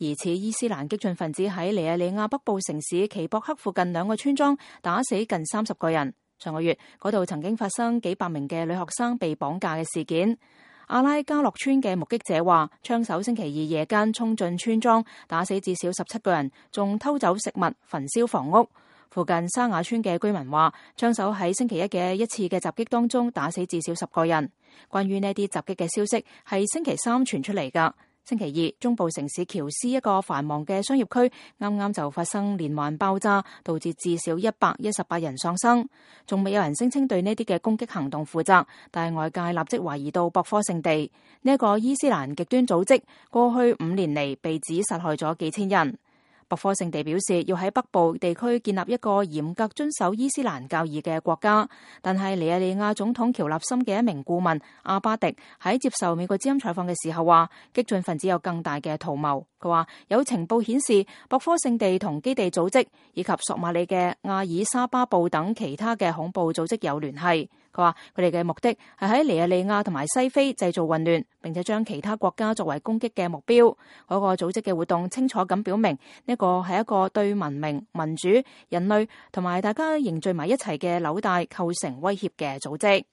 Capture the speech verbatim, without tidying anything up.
疑似伊斯蘭激進分子喺尼日利亞北部城市奇博克附近兩個村莊打死近三十個人。上個月嗰度曾經發生幾百名嘅女學生被綁架嘅事件。阿拉加洛村嘅目擊者話，槍手星期二夜間衝進村莊，打死至少十七個人，仲偷走食物、焚燒房屋。附近沙雅村嘅居民話，槍手喺星期一嘅一次嘅襲擊當中打死至少十個人。關於呢啲襲擊嘅消息係星期三傳出嚟㗎。星期二，中部城市喬斯一個繁忙嘅商業區啱啱就發生連環爆炸，導致至少一百一十八人喪生。仲未有人聲稱對呢啲嘅攻擊行動負責，但係外界立即懷疑到博科聖地呢一個伊斯蘭極端組織過去五年嚟被指殺害咗幾千人。博科聖地表示要喺北部地區建立一個嚴格遵守伊斯蘭教義嘅國家，但係尼日利亞總統喬納森嘅一名顧問阿巴迪喺接受美國之音採訪嘅時候話，激進分子有更大嘅圖謀。佢話有情報顯示博科聖地同基地組織以及索馬里嘅阿爾沙巴布等其他嘅恐怖組織有聯繫。佢話佢哋嘅目的係喺尼日利亞同埋西非製造混亂，並且將其他國家作為攻擊嘅目標。嗰個組織嘅活動清楚咁表明，呢個係一個對文明、民主、人類同埋大家凝聚埋一齊嘅紐帶構成威脅嘅組織。